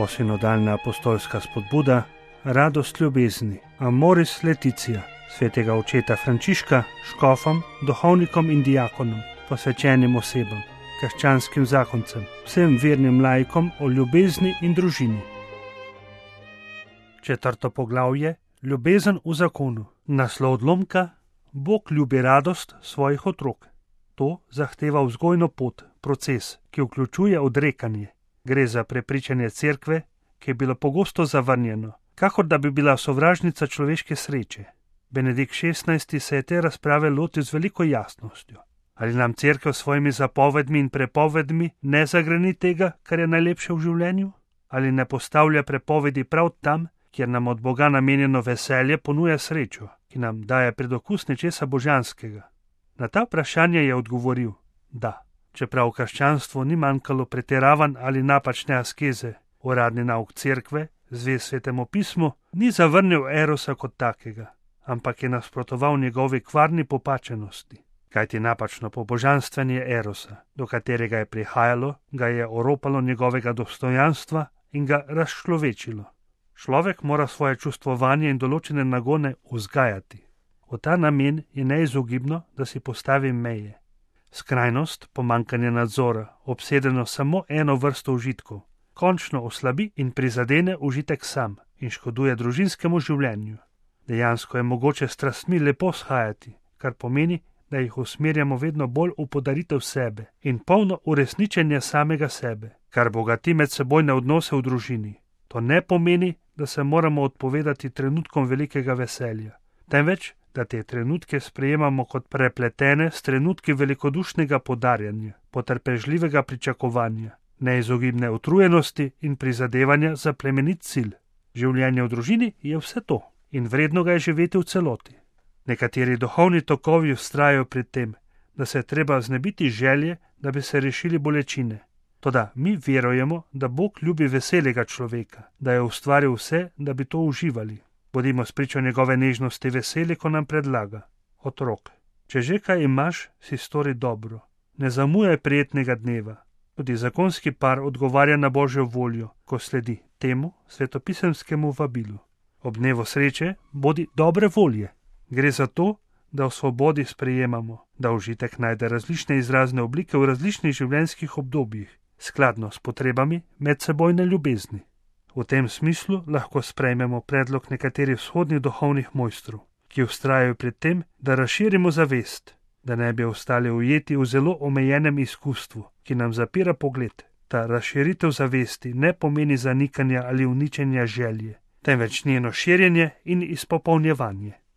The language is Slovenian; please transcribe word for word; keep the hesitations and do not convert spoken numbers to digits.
Posinodalna apostolska spodbuda, radost ljubezni, Amoris Laetitia, svetega očeta Frančiška, škofom, duhovnikom in diakonom, posvečenim osebam, krščanskim zakoncem, vsem vernim laikom o ljubezni in družini. Četrto poglavje, ljubezen v zakonu. Naslov odlomka: Bog ljubi radost svojih otrok. To zahteva vzgojno pot, proces, ki vključuje odrekanje. Gre za prepričanje cerkve, ki je bilo pogosto zavrnjeno, kakor da bi bila sovražnica človeške sreče. Benedikt šestnajsti se je te razprave lotil z veliko jasnostjo. Ali nam cerkev s svojimi zapovedmi in prepovedmi ne zagrani tega, kar je najlepše v življenju? Ali ne postavlja prepovedi prav tam, kjer nam od Boga namenjeno veselje ponuja srečo, ki nam daje predokus nečesa božanskega? Na ta vprašanje je odgovoril, da, čeprav v krščanstvu ni manjkalo pretiravanj ali napačne askeze, uradni nauk cerkve, zvest Svetemu pismu, ni zavrnil erosa kot takega, ampak je nasprotoval njegovi kvarni popačenosti. Kajti napačno pobožanstvanje erosa, do katerega je prihajalo, ga je oropalo njegovega dostojanstva in ga razčlovečilo. Človek mora svoje čustvovanje in določene nagone vzgajati. V ta namen je neizogibno, da si postavi meje. Skrajnost, pomanjkanje nadzora, obsedeno samo eno vrsto užitkov, končno oslabi in prizadene užitek sam in škoduje družinskemu življenju. Dejansko je mogoče strastmi lepo shajati, kar pomeni, da jih usmerjamo vedno bolj v podaritev sebe in polno uresničenje samega sebe, kar bogati medsebojne odnose v družini. To ne pomeni, da se moramo odpovedati trenutkom velikega veselja, temveč, da te trenutke sprejemamo kot prepletene s trenutki velikodušnega podarjanja, potrpežljivega pričakovanja, neizogibne utrujenosti in prizadevanja za plemenit cilj. Življenje v družini je vse to in vredno ga je živeti v celoti. Nekateri duhovni tokovi vztrajajo pri tem, da se je treba znebiti želje, da bi se rešili bolečine. Toda mi verujemo, da Bog ljubi veselega človeka, da je ustvaril vse, da bi to uživali. Bodimo spričo njegove nežnosti veseli, ko nam predlaga: otrok, če že kaj imaš, si stori dobro. Ne zamujaj prijetnega dneva. Tudi zakonski par odgovarja na Božjo voljo, ko sledi temu svetopisemskemu vabilu. Ob dnevu sreče bodi dobre volje. Gre za to, da v svobodi sprejemamo, da užitek najde različne izrazne oblike v različnih življenjskih obdobjih, skladno s potrebami medsebojne ljubezni. V tem smislu lahko sprejmemo predlog nekaterih vzhodnih duhovnih mojstrov, ki vztrajajo pri tem, da razširimo zavest, da ne bi ostali ujeti v zelo omejenem izkustvu, ki nam zapira pogled. Ta razširitev zavesti ne pomeni zanikanja ali uničenja želje, temveč njeno širjenje in izpopolnjevanje.